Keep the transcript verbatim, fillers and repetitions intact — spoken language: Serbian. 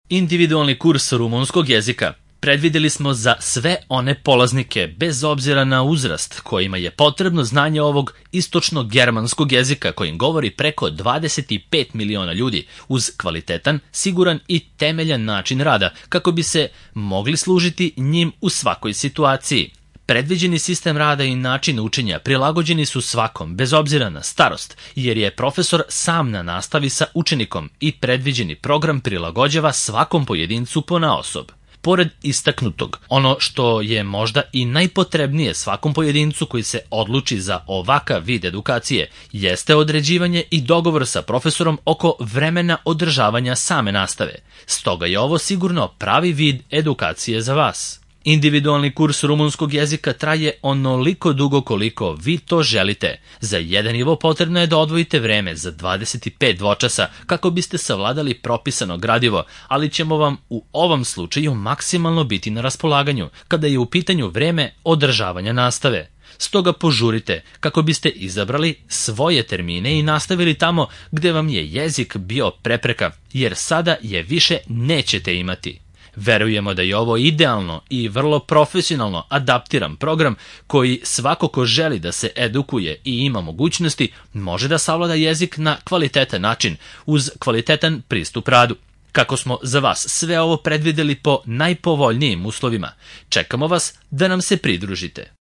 Individualni kurs rumunskog jezika predvideli smo za sve one polaznike, bez obzira na uzrast, kojima je potrebno znanje ovog istočno-germanskog jezika kojim govori preko dvadeset pet miliona ljudi, uz kvalitetan, siguran i temeljan način rada, kako bi se mogli služiti njim u svakoj situaciji. Predviđeni sistem rada i način učenja prilagođeni su svakom, bez obzira na starost, jer je profesor sam na nastavi sa učenikom i predviđeni program prilagođava svakom pojedincu ponaosob. Pored istaknutog, ono što je možda i najpotrebnije svakom pojedincu koji se odluči za ovakav vid edukacije, jeste određivanje i dogovor sa profesorom oko vremena održavanja same nastave. Stoga je ovo sigurno pravi vid edukacije za vas. Individualni kurs rumunskog jezika traje onoliko dugo koliko vi to želite. Za jedan nivo potrebno je da odvojite vreme za dvadeset pet dvočasa kako biste savladali propisano gradivo, ali ćemo vam u ovom slučaju maksimalno biti na raspolaganju kada je u pitanju vreme održavanja nastave. Stoga požurite kako biste izabrali svoje termine i nastavili tamo gde vam je jezik bio prepreka, jer sada je više nećete imati. Verujemo da je ovo idealno i vrlo profesionalno adaptiran program koji svako ko želi da se edukuje i ima mogućnosti može da savlada jezik na kvalitetan način uz kvalitetan pristup radu. Kako smo za vas sve ovo predvideli po najpovoljnijim uslovima, čekamo vas da nam se pridružite.